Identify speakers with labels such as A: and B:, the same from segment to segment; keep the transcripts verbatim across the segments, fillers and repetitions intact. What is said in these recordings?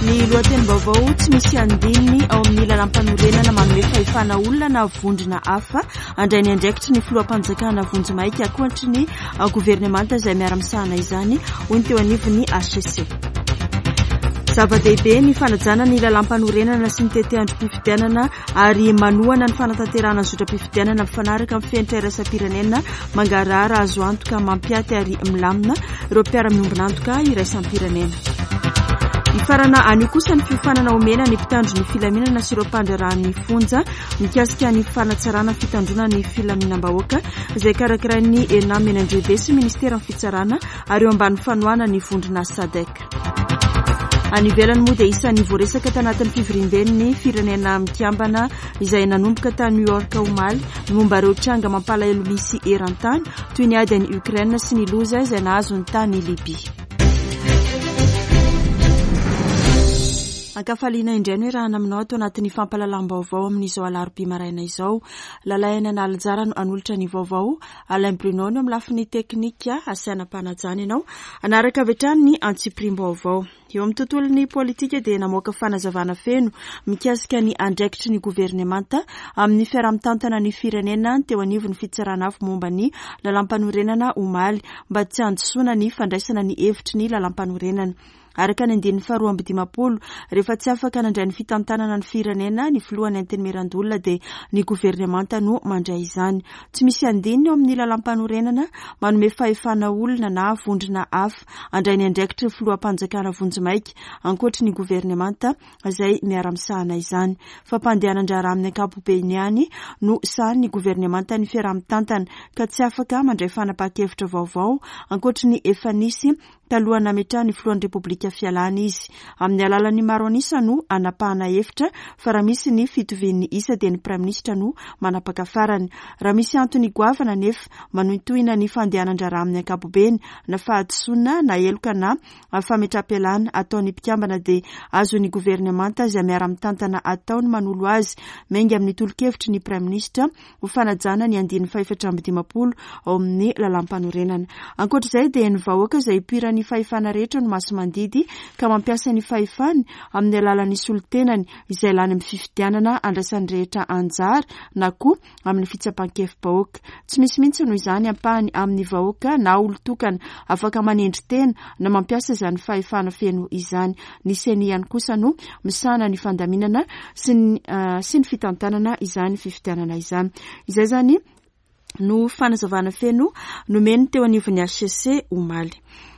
A: Ny lohatenim-baovao: tsy misy andininy ao amin'ny lalàm-panorenana manome fahefana olona na vondrona hafa handray ny andraikitry ny filoham-panjakana vonjimaika ankoatry ny governemanta izay miara-misahana izany, hoy ny teo anivon'ny H C C. Zava-dehibe ny fanajana ny lalàm-panorenana sy ny tetiandrom-pifidianana ary manohana ny fanatanterahana ny zotram-pifidianana mifanaraka amin'ny fenitra iraisam-pirenena, mangarahara, azo antoka, mampiaty ary milamina ireo mpiara-miombon'antoka iraisam-pirenena. Hifarana anio kosa ny fiofanana omena ny mpitandro ny filaminana sy ireo mpandraharahan'ny fonja mikasika ny fanatsarana fitandrona ny filaminam-bahoaka izay karakarain'ny ENAM eny Androhibe sy ministeran'ny fitsarana ary eo ambany fanohanan'ny ny vondrona SADC. Any ivelany moa dia isan'ny voaresaka tanatin'ny fivoriamben'ny Firenena Mikambana izay nanomboka tany New York omaly ny momba ireo tranga mampalahelo misy eran-tany, toy ny ady any Ukraine sy ny loza izay nahazo ny tany Libia. Ankafaliana indray no iarahana aminao ato anatin'ny fampahalalam-baovao amin'izao alarobia maraina izao. Lalaina Analinjara no hanolotra ny vaovao. Alain Bruno no amin'ny lafiny teknika, asaina mpanajana ianao. Hanaraka avy hatrany ny antsipiriam-baovao. Eo amin'ny tontolon'ny politika dia namoaka fanazavana feno mikasika ny andraikitry ny governemanta amin'ny fiaraha-mitantana ny firenena teo anivon'ny fitsarana avo momba ny lalàmpanorenana omaly, mba tsy handisoana ny fandraisana ny hevitry ny lalàmpanorenana. Araka ny andininy faharoa amby dimampolo, rehefa tsy afaka nandray ny fitantanana ny firenena ny filohan'ny Antenimierandoholona dia ny governemanta no mandray izany. Tsy misy andininy eo amin'ny lalàmpanorenana manome fahefana olona na vondrona hafa handray ny andraikitry ny filoham-panjakana vonjimaika ankoatry ny governemanta izay miara-misahana izany. Fampandehanan-draharaha amin'ny ankapobeny ihany no sahanin'ny governemanta ny fiaraha-mitantana ka tsy afaka mandray fanapahan-kevitra vaovao ankoatry ny efa nisy talohan'ny nametrahan'ny filohan'ny Repoblika fialana izy. Amin'ny alalan'ny maro an'isa no hanapahana hevitra fa raha misy ny fitovian'ny isa dia ny praiminisitra no manapaka farany. Raha misy antony goavana anefa manohintohina ny fandehanan-draharaha amin'ny ankapobeny, na fahadisoana na heloka na fametraham-pialana ataon'ny mpikambana, dia azon'ny governemanta izay miara-mitantana atao ny manolo azy miainga amin'ny tolo-kevitry ny praiminisitra ho fanajana ny andininy fahefatra amby dimampolo ao amin'ny lalàm-panorenana. Ankoatra izay dia ny vahoaka izay ipoiran'ny fahefana rehetra no masi-mandidy ka mampiasa ny fahefany amin'ny alalan'ny solontenany izay lany amin'ny fifidianana andraisan'ny rehetra anjara na koa amin'ny fitsapan-kevi-bahoaka. Tsy misy mihitsy noho izany ampahany amin'ny vahoaka na olon-tokana afaka manendry tena na mampiasa izany fahefana feno izany. Ny CENI ihany kosa no misahana ny fandaminana sy ny, uh, sy ny fitantanana izany fifidianana izany. Izay izany no fanazavana feno nomeny teo anivon'ny H C C omaly.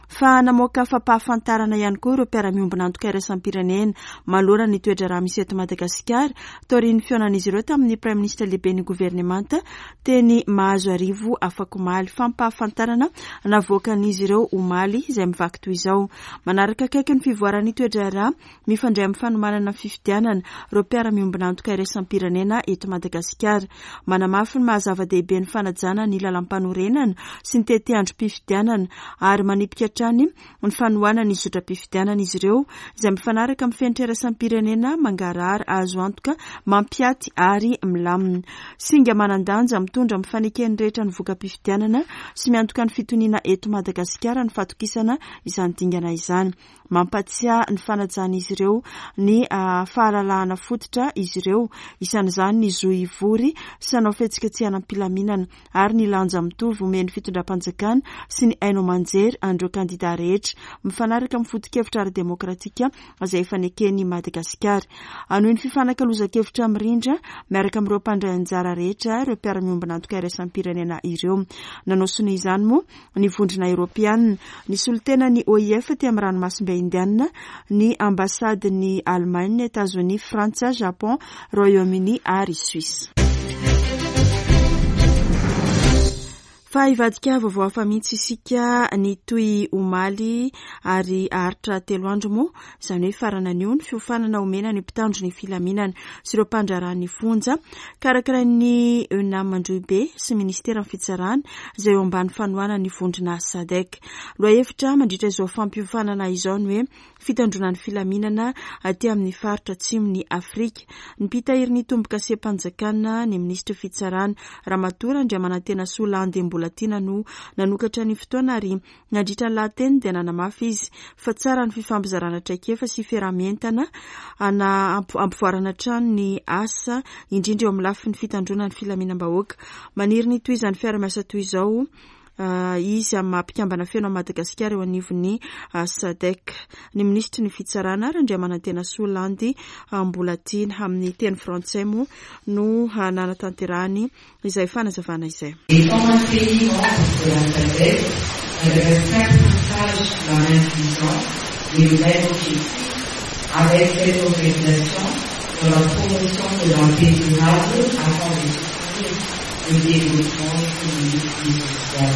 A: Fa namoaka fampahafantarana ihany koa ireo mpiara-miombon'antoka iraisam-pirenena manoloana ny toe-draharaha misy eto Madagasikara taorian'ny fihaonan'izy ireo tamin'ny praiminisitra lehiben'ny governemanta teny Mahazoarivo afakomaly. Fampahafantarana navoakan'izy ireo omaly izay mivaky toy izao: manaraka akaiky ny fivoaran'ny toe-draharaha mifandray amin'ny fanomanana fifidianana ireo mpiara-miombon'antoka iraisam-pirenena eto Madagasikara. Manamafy ny maha-zava-dehibe ny fanajana ny lalàm-panorenana sy ny tetiandrom-pifidianana ary manipika hatrany ny fanohanana ny zotram-pifidianana izy ireo izay mifanaraka amin'ny fenitra iraisam-pirenena, mangarahara, azo antoka, mampiaty ary milamina. Singa manan-danja mitondra amin'ny faneken'ny rehetra ny voka-pifidianana sy miantoka ny fitoniana eto Madagasikara ny fatokisana izany dingana izany. Mampatsiahy ny fanajan'izy ireo ny fahalalahana fototra izy ireo, isan'izany ny zo hivory sy hanao fihetsiketsehana am-pilaminana, ary ny lanja mitovy omen'ny fitondram-panjakana sy ny haino aman-jery an'ireo kandida rehetra mifanaraka amin'ny foto-kevitra ara-demokratika izay efa neken'i Madagasikara. Hanohy ny fifanakalozan-kevitra mirindra miaraka amin'ireo mpandray anjara rehetra ireo mpiara-miombon'antoka iraisam-pirenena ireo. Nanao sonia izany moa ny Vondrona Eoropeanina, ny solotenan'ny O I F aty amin'ny ranomasimbe Indiana, ny ambasadin'ny Allemagne, Etazonia, Frantsa, Japon, Royaume-Uni ary Suisse. Fa hivadika vaovao hafa mihitsy isika. Ny toy omaly ary haharitra telo andro moa, izany hoe farana anio, ny fiofanana omena ny mpitandro ny filaminana sy ireo mpandraharahan'ny fonja karakarain'ny ENAM Androhibe sy ministeran'ny fitsarana izay eo ambany fanohanan'ny vondrona SADC. Lohahevitra mandritra izao fampiofanana izao ny hoe fitandrona ny filaminana aty amin'ny faritra atsimon'i Afrika. Ny mpitahiry ny tombo-kasem-panjakana, ny minisitry fitsarana, Ramatoa Randriamanantena Solandy. Mbolatiana no nanokatra ny fotoana ary nandritra ny lahateny dia nanamafy izy fa tsara ny fifampizarana traikefa sy fiaraha-mientana ana ampivoarana hatrany ny asa, indrindra eo amin'ny lafiny fitandroana ny filaminam-bahoaka. Maniry ny tohizan'ny fiarahamiasa toy izao izy amin'ny maha mpikambana feno amin'i Madagasikara eo anivon'ny SADC. Ny minisitry ny fitsarana Randriamanantena Landy Mbolatiana amin'ny teny frantsay moa no nanatanterahany izay fanazavana izay.
B: Étant un pays membre de la SADC, Madagascar partage la même vision et le même objectif avec cette organisation dans la promotion de la paix durable afin de soutenir le développement économique et social.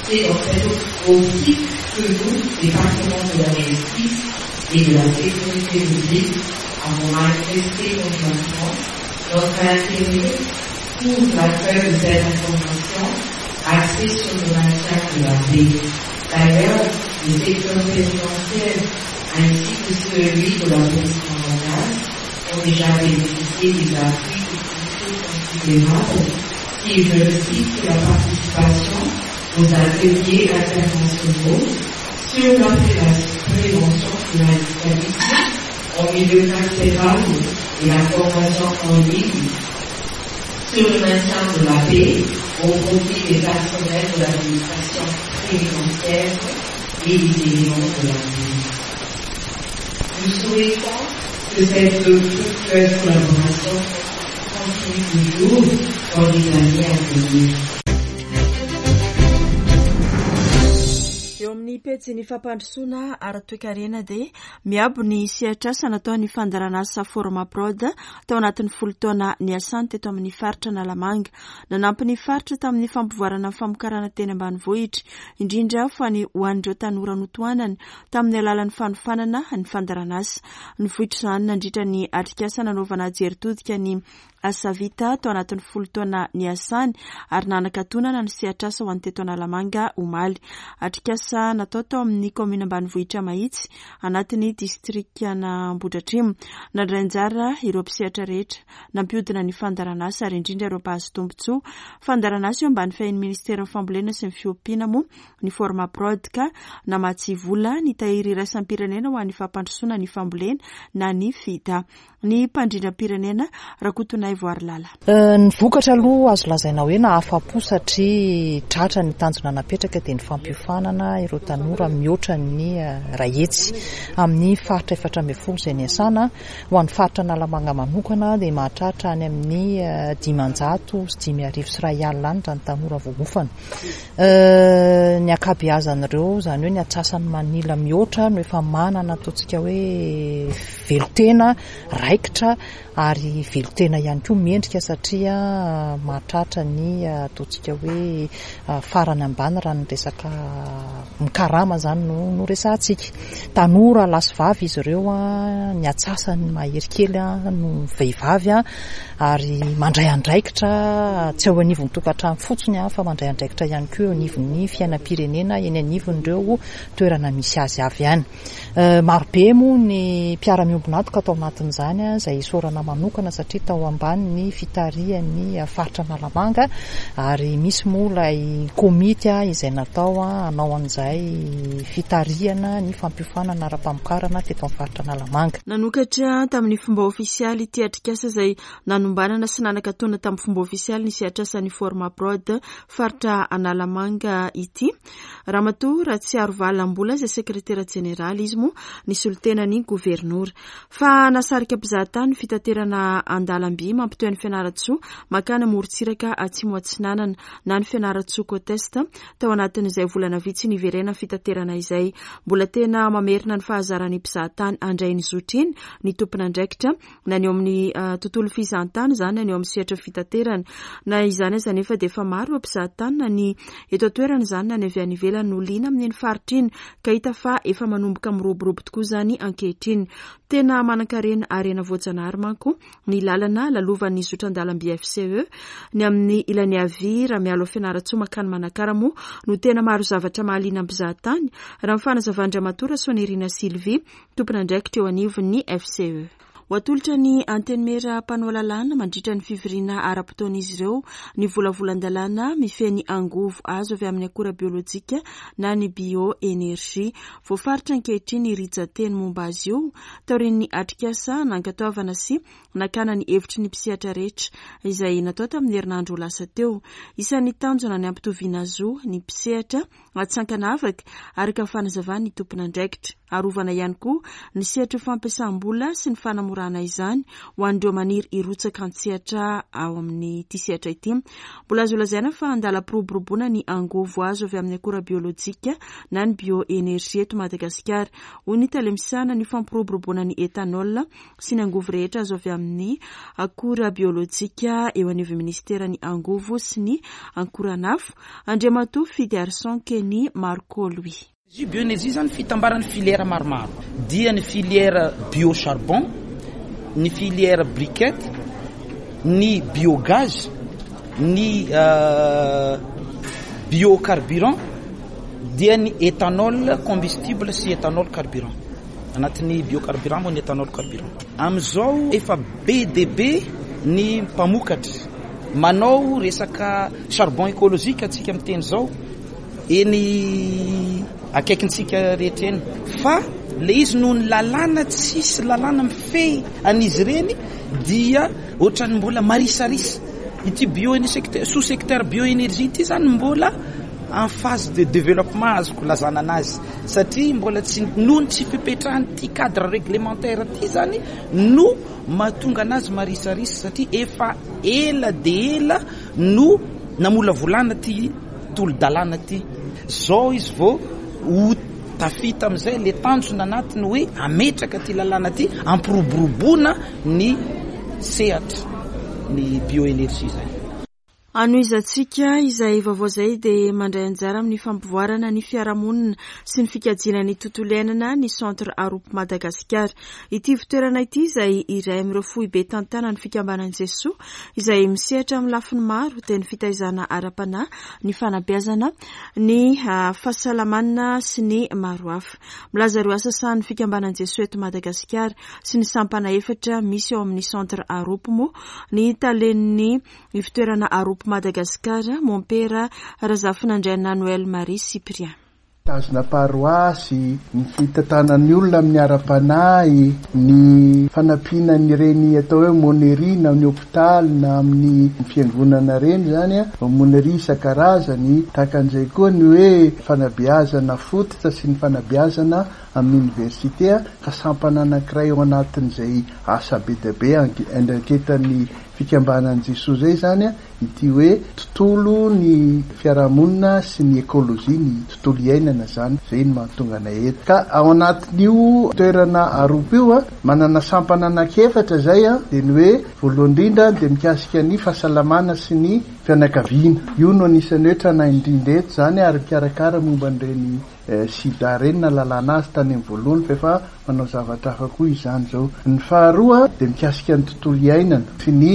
B: C'est dans cette optique que nous, département de la justice et de la sécurité publique, avons manifesté conjointement notre intérêt pour l'accueil de cette information axée sur le maintien de la paix. D'ailleurs, le secteur pénitentiaire ainsi que celui de la police nationale ont déjà bénéficié des appuis techniques considérables qui, je le cite, la participation aux ateliers internationaux sur la prévention du radicalisme en milieu carcéral et la formation en ligne sur le maintien de la paix au profit des personnels de l'administration pénitentiaire et des éléments de la police. Nous souhaitons que cette fructueuse collaboration continue toujours dans les années à venir.
A: Eo amin'ny pejy ny fampandrosoana ara-toekarena dia miabo ny sehatr'asa natao ny fandaharanasa Formaprod tao anatin'ny folo taona niasany teto amin'ny faritra Analamanga. Nanampy ny faritra tamin'ny fampivoarana ny famokarana teny ambanivohitra, indrindra fa ny ho an'ireo tanora notohanany tamin'ny alalan'ny fanofanana ny fandaharanasa. Nivoitra izany nandritra ny atrikasa nanaovana jery todika ny asa vita tao anatin'ny folo taona niasany ary nanakatonana ny sehatr'asa ho an'ny teto Analamanga omaly. Atrikasa natao tao amin'ny kaominina ambanivohitra Mahitsy anatin'ny distrikan'Ambohidratrimo. Nandray anjara ireo mpisehatra rehetra nampiodina ny fandaharanasa ary indrindra ireo mpahazo tombontsoa. Fandaharanasa eo ambany fahin'ny ministeran'ny fambolena sy ny fiompiana moa ny Formaprod ka namatsy vola ny tahiry iraisam-pirenena ho an'ny fampandrosoana ny fambolena na ny FIDA. Ny mpandrindram-pirenena Rakotonaivo Arilala.
C: Ny vokatra aloha azo lazaina hoe nahafa-po satria tratra ny tanjona napetraka dia ny fampiofanana ireo tanora mihoatra ny iray hetsy amin'ny faritra efatra ambin'ny folo izay niasana. Ho an'ny faritra Analamanga manokana dia mahatratra any amin'ny dimanjato sy dimy arivo sy iray alina any raha ny tanora voaofana. Ny ankabeazan'ireo, izany hoe ny antsasany manila mihoatra no efa manana ataontsika hoe velon-tena raikitra ary velon-tena ihany koa mendrika satria mahatratra ny ataontsika hoe farany ambany raha ny resaka mikarama izany no no resahantsika. Tanora lahy sy vavy izy ireo, ny antsasany mahery kely no vehivavy ary mandray andraikitra tsy eo anivon'ny tokantrano fotsiny fa mandray andraikitra ihany koa eo anivon'ny fiainam-pirenena eny anivon'ireo toerana misy azy avy any. Marobe moa ny mpiara-miombon'antoka tao anatin'izany izay isaorana manokana satria tao ambany ny fitarihan'ny faritra Analamanga ary misy moa ilay komity izay natao hanao an'izay fitarihana ny fampiofanana ara-pamokarana teto amin'ny faritra Analamanga.
A: Nanokatra tamin'ny fomba ofisialy ity atrikasa izay nanombanana sy nanakatona tamin'ny fomba ofisialy ny sehatrasan'ny Formaprod faritra Analamanga ity. Ramatoa Ratsiarovalambola izay sekretera jeneraly izy moa nisolo tena ny governora. Fa nasarika mpizahatany fitaterana an-dalamby mampitohy ny Fianarantsoa makany amorontsiraka atsimo atsinanana na ny Fianarantsoa Côte Est tao anatin'izay volana vitsy niverena fitaterana izay. Mbola tena mamerina ny fahazaran'ny mpizahatany handray ny zotra iny ny tompon'andraikitra na ny eo amin'ny tontolo fizahantany izany na ny eo amin'ny sehatra fitaterana. Na izany aza nefa dia efa maro ireo mpizahatany na ny eto an-toerana izany na ny avy any ivelany no liana amin'iny faritra iny ka hita fa efa manomboka miroborobo tokoa izany ankehitriny. Tena manan-karena harena voajanahary manko ny lalana lalovan'ny zotra an-dalamby F C E. Ny amin'ny ilany havia raha miala ao Fianarantsoa makany Manakara moa no tena maro zavatra mahaliana mpizahatany raha ny fanazavan-dRamatoa Rasoanirina Sylvie tompon'andraikitra eo anivon'ny F C E. Ho atolotra ny antenimiera mpanao lalàna mandritra ny fivoriana ara-potoan'izy ireo ny volavolan-dalàna mifehy ny angovo azo avy amin'ny akora biolojika na ny bioénergie. Voafaritra ankehitriny rijan-teny momba azy io taorian'ny atrikasa nankatoavana sy nakana ny hevitry ny mpisehatra rehetra izay natao tamin'ny herinandro lasa teo. Isan'ny tanjona ny hampitoviana zo ny mpisehatra tsy ankanavaka araka ny fanazavan'ny tompon'andraikitra. Arovana ihany koa ny sehatra fampiasam-bola sy ny fanamorana izany ho an'ireo maniry hirotsaka an-tsehatra ao amin'ity sehatra ity. Mbola azo lazaina fa andalam-piroboroboana ny angovo azo avy amin'ny akora biolojika na ny bioénergie eto Madagasikara. Hoy ny tale misahana ny fampiroboroboana ny éthanol sy ny angovo rehetra azo avy amin'ny akora biolojika eo anivon'ny ministeran'ny angovo sy ny akoranafo, Andriamatoa Fidiarson Kenny Marco Louis.
D: Io bioénergie zany fitambaran'ny filière maromaro, dia ny filière biocharbon, ny filière briquette, ny biogaz, ny biocarburant, dia ny éthanol combustible sy éthanol carburant. Anatin'ny biocarburant moa ny éthanol carburant. Am'izao efa be dia be ny mpamokatra manao resaka charbon écologique atsika miteny zao eny akaikintsika rehetra eny, fa le izy noho ny lalàna, tsisy lalàna mifehy an'izy ireny, dia ohatrany mbola marisarisa ity bio secteur, sous secteur bioénergie ity zany mbola en phase de développement azoko lazana anazy, satria mbola tsy noho ny tsy fipetrahany ty cadre réglementaire ty zany no mahatonga anazy marisarisa, satria efa ela de ela no namolavolana ty tolo-dalàna ty zao izy vao ho tafita am'izay le tanjona anatiny hoe ametraka ty lalàna ty ampiroboroboana ny sehatra ny bioénergie zay.
A: Anohizantsika izay vaovao izay dia mandray anjara amin'ny fampivoarana ny fiarahamonina sy ny fikajiana ny tontolo iainana ny Centre Arop Madagasikara. Ity fitoerana ity izay iray amin'ireo foibe tantanan'ny fikambanan'i Jesoa izay misehatra amin'ny lafiny maro, dia ny fitaizana ara-panahy, ny fanabeazana, ny fahasalamana sy ny maro hafa. Milaza ireo asa sahanin'ny fikambanan'i Jesoa eto Madagasikara sy ny sampana efatra misy ao amin'ny Centre Arop moa ny talen'ny fitoerana Arop Madagasikara, Mompera Razafinandriana Noël Marie Cyprien.
E: Tazona paroasy, ny fitantanan'ny olona amin'ny ara-panahy, ny fanampiana ny reny atao hoe aumônerie na amin'ny hôpitaly na amin'ny fiangonana reny zany, aumônerie isan-karazany, tahaka an'izay koa ny hoe fanabeazana fototra sy ny fanabeazana amin'ny université, ka sampana anankiray ao anatin'izay asa be dia be andraiketan'ny fikambanan'i Jesoa zay zany ity hoe tontolo ny fiarahamonina sy ny écologie, ny tontolo iainana zany, zay no mahatonga anay eto. Ka ao anatin'io toerana Arop io a, manana sampana anankiefatra zay a, dia ny hoe voalohany indrindra dia mikasika ny fahasalamana sy ny fianakaviana. Io no anisan'ny hoe tranainy indrindra eto zany, ary mikarakara momba an'ireny sida reny na lalàna azy tany amin'ny voalohany, fa efa manao zavatra hafa koa izany zao. Ny faharoa dia mikasika ny tontolo iainana sy ny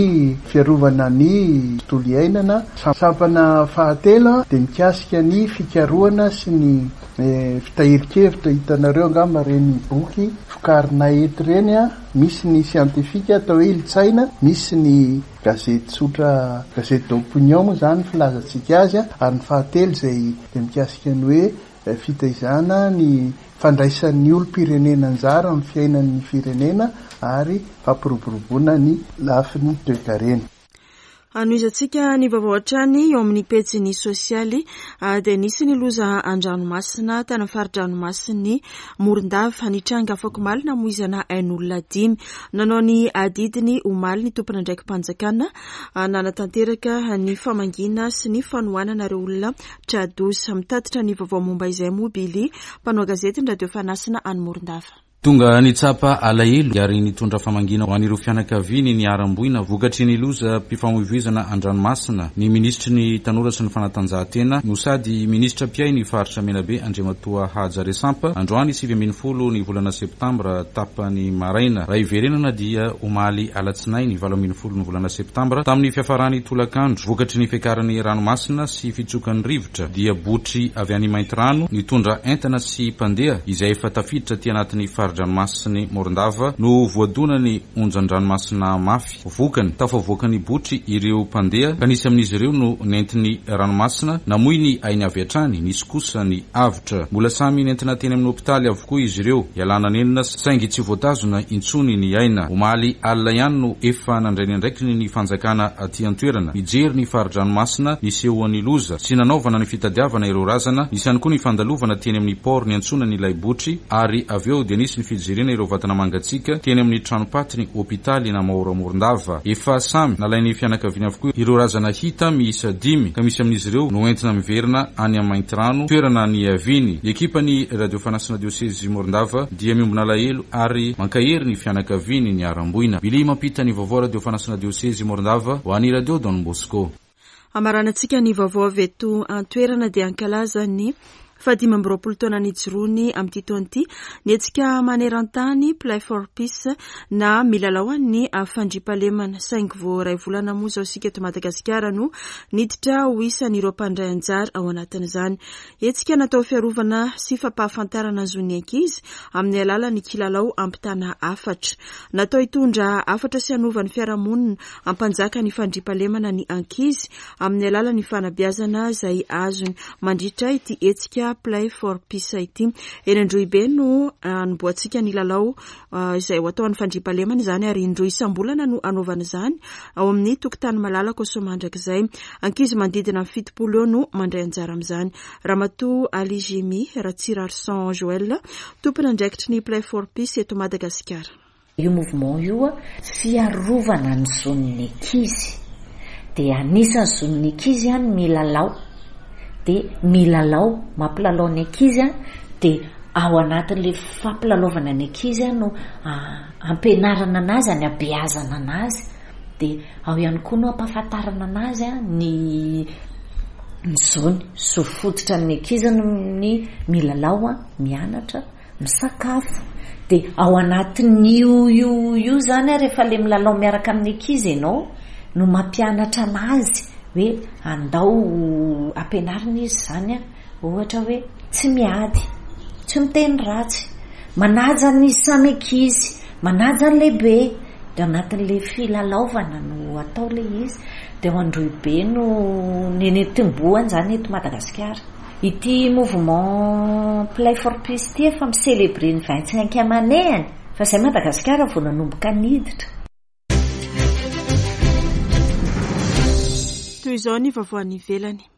E: fiarovana ny tontolo iainana. Sampana fahatelo dia mikasika ny fikarohana sy ny fitahirin-kevitra. Hitanareo angamba reny boky vokarinay eto reny a, misy ny siantifika atao hoe Ilotsaina, misy ny gazety tsotra, gazety d'opinion moa zany filazantsika azy. Ary ny fahatelo izay dia mikasika ny hoe fitaizana ny fandraisan'ny olom-pirenena anjara amin'ny fiainan'ny firenena ary fampiroboroboana ny lafiny toekarena.
A: Anohizantsika ny vaovao hatrany eo amin'ny pejiny sosialy, dia nisy ny loza an-dranomasina tany amin'ny fari-dranomasin'ny Morondava nitranga afak'omaly namoizana ain'olona dimy. Nanao ny adidiny omaly ny tompon'andraiki-panjakana nanatanteraka ny famangiana sy ny fanohanana ireo olona tra-doza. Mitatitra ny vaovao momba izay moa Billy, mpanao gazety ny Radio Fanasina any Morondava.
F: Tonga nitsapa alahelo ary nitondra famangiana ho an'ireo fianakaviany niharam-boina vokatry ny loza mpifamoivoizana an-dranomasina ny ministry ny tanora sy ny fanatanjahantena no sady ministra mpiahy ny faritra Menabe, Andriamatoa Haja Resampa, androany sivy ambin'ny folo ny volana septambra tapany maraina. Raha iverenana dia omaly alatsinainy valo ambin'ny folo ny volana septambra tamin'ny fiafarany tolakandro, vokatry ny fiakaran'ny ranomasina sy fitsokan'ny rivotra, dia botry avy any Maintirano nitondra entana sy mpandeha izay efa tafiditra ty anatin'ny faritra fari-dranomasin'i Morondava no voadonan'ny onjan-dranomasina mafy. Vokany, tafavoaka ny botry ireo mpandeha ka nisy amin'izy ireo no nentin'ny ranomasina namoy ny ainy avy hatrany, nisy kosa ny avotra. Mbola samy nentina teny amin'ny hopitaly avokoa izy ireo, ialana nenina saingy tsy voatazona intsony ny aina. Omaly alina ihany no efa nandray ny andraikiny ny fanjakana aty an-toerana nijery ny fari-dranomasina nisehoan'ny loza sy nanaovana ny fitadiavana ireo razana. Nisy ihany koa ny fandalovana teny amin'ny port niantsona ny ilay botry ary avy eo dia nisy ny fijerena ireo vatana mangatsiaka teny amin'ny tranom-patiny hopitaly Namahora Morondava. Efa samy nalain'ny fianakaviana avokoa ireo razana hita miisa dimy ka misy amin'izy ireo no entina miverina any amin'ny Maintirano, toerana niaviany. Ny ekipan'ny Radio Fanasina Diosezy Morondava dia miombona alahelo ary mankahery ny fianakaviany niharam-boina. Billy mampita ny vaovao Radio Fanasina Diosezy Morondava ho an'ny Radio Don Bosco.
A: Amaranantsika ny vaovao avy eto an-toerana dia ankalaza ny fahadimy amby roapolo taona nijoroany amin'ity taona ity ny hetsika maneran-tany Play for Peace na milalao ny fandriampahalemana, saingy vao iray volana moa izao isika eto Madagasikara no niditra ho isan'ireo mpandray anjara ao anatin'izany. Hetsika natao fiarovana sy fampahafantarana ny zon'ny ankizy amin'ny alalan'ny kilalao ampitana hafatra. Natao hitondra hafatra sy hanova ny fiarahamonina hampanjaka ny fandriampahalemana ny ankizy amin'ny alalan'ny fanabeazana izay azony mandritra ity hetsika Play for Peace ity. Eny Androhibe no anombohantsika ny lalao izay ho atao amin'ny fandriampahalemana izany ary indroa isam-bolana no anaovana izany ao amin'ny tokotany malalaka Soamandrakizay. Ankizy manodidina ny fitopolo eo no mandray anjara amin'izany. Ramatoa Ali Jimmy Ratsirarson Joël, tompon'andraikitry ny Play for Peace eto Madagasikara.
G: Io mouvement io fiarovana ny zon'ny ankizy, dia anisan'ny zon'ny ankizy ny milalao, dia milalao mampilalao ny ankizy, dia ao anatin'ilay fampilalaovana ny ankizy no ampianarana anazy, any abeazana anazy, dia ao ihany koa no ampahafantarana anazy ny ny zony, zo fototra ny ankizy ny milalao, mianatra, misakafo. Dia ao anatin'io io io zany rehefa le milalao miaraka amin'ny ankizy ianao no mampianatra anazy hoe andao ampianarina izy zany, ohatra hoe tsy miady, tsy miteny ratsy, manaja ny samy ankizy, manaja ny lehibe. Dia anatin'ilay filalaovana no atao ilay izy. Dia ao Androhibe no nitomboany zany eto Madagasikara. Ity mouvement Play for Peace ity efa mi-célébrer ny vingt-cinquième année-ny, fa izay Madagasikara vao nanomboka niditra.
A: Toy izao ny vaovao any ivelany.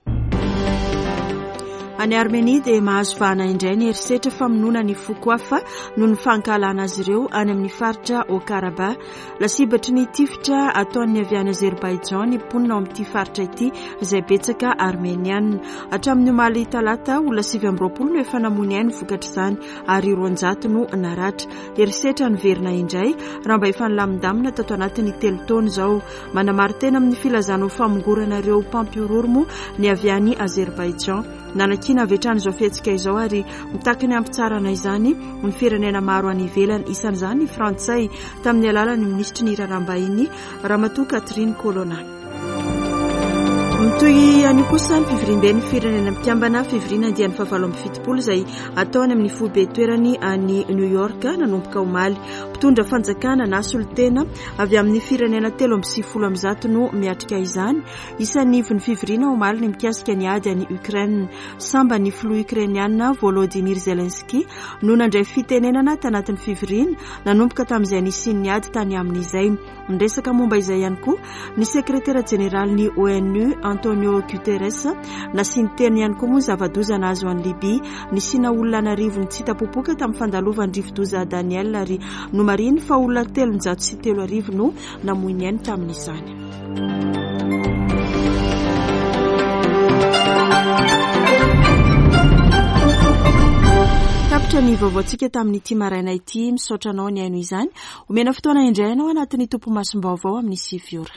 A: Any Armenia dia mahazo vahana indray ny herisetra famonoana ny foko hafa noho ny fankahalana azy ireo any amin'ny faritra Haut-Karabakh. Lasibatry ny tifitra ataon'ny avy any Azerbaijan ny mponina ao amin'ity faritra ity izay betsaka armeniana. Hatramin'ny omaly talata, olona sivy amby roapolo no efa namoy ny ainy vokatr'izany ary roanjato no naratra. Herisetra niverina indray raha mba efa nilamindamina tato anatin'ny telo taona izao. Manamari-tena amin'ny filazana ho famongorana ireo mpampihorohoro moa ny avy any Azerbaijan. Nanakiana avy hatrany izao fihetsika izao ary mitaky ny hampitsarana izany ny firenena maro any ivelany, isan'izany ny frantsay tamin'ny alalan'ny minisitry ny raharaham-bahiny Ramatoa Catherine Colonna. Mitohy anio kosa ny fivoriamben'ny firenena mikambana, fivoriana andiany fahavalo amby fitopolo izay ataony amin'ny foibe toerany any New York nanomboka omaly. Mpitondra fanjakana na solontena avy amin'ny firenena telo amby sivifolo amby zato no miatrika izany. Isan'ny ivon'ny fivoriana omaly ny mikasika ny ady any Ukraine. Samba ny filoha ukrainiana Volodymyr Zelensky no nandray fitenenana tanatin'ny fivoriana nanomboka tamin'izay nisian'ny ady tany amin'izay. Niresaka momba izay ihany koa ny sekretera jeneralin'ny O N U Antonio Guterres. Nasiany teny ihany koa moa ny zava-doza nahazo an'i Libia. Nisiana olona an'arivony tsy hita popoka tamin'ny fandalovan'ny rivodoza Daniel ary nomarihiny fa olona telonjato sy telo arivo no namoy ny ainy tamin'izany. Tapitra ny vaovaontsika tamin'ity maraina ity. Misaotra anao ny haino izany. Omena fotoana indray ianao anatin'ny tompomasom-baovao amin'ny sivy ora.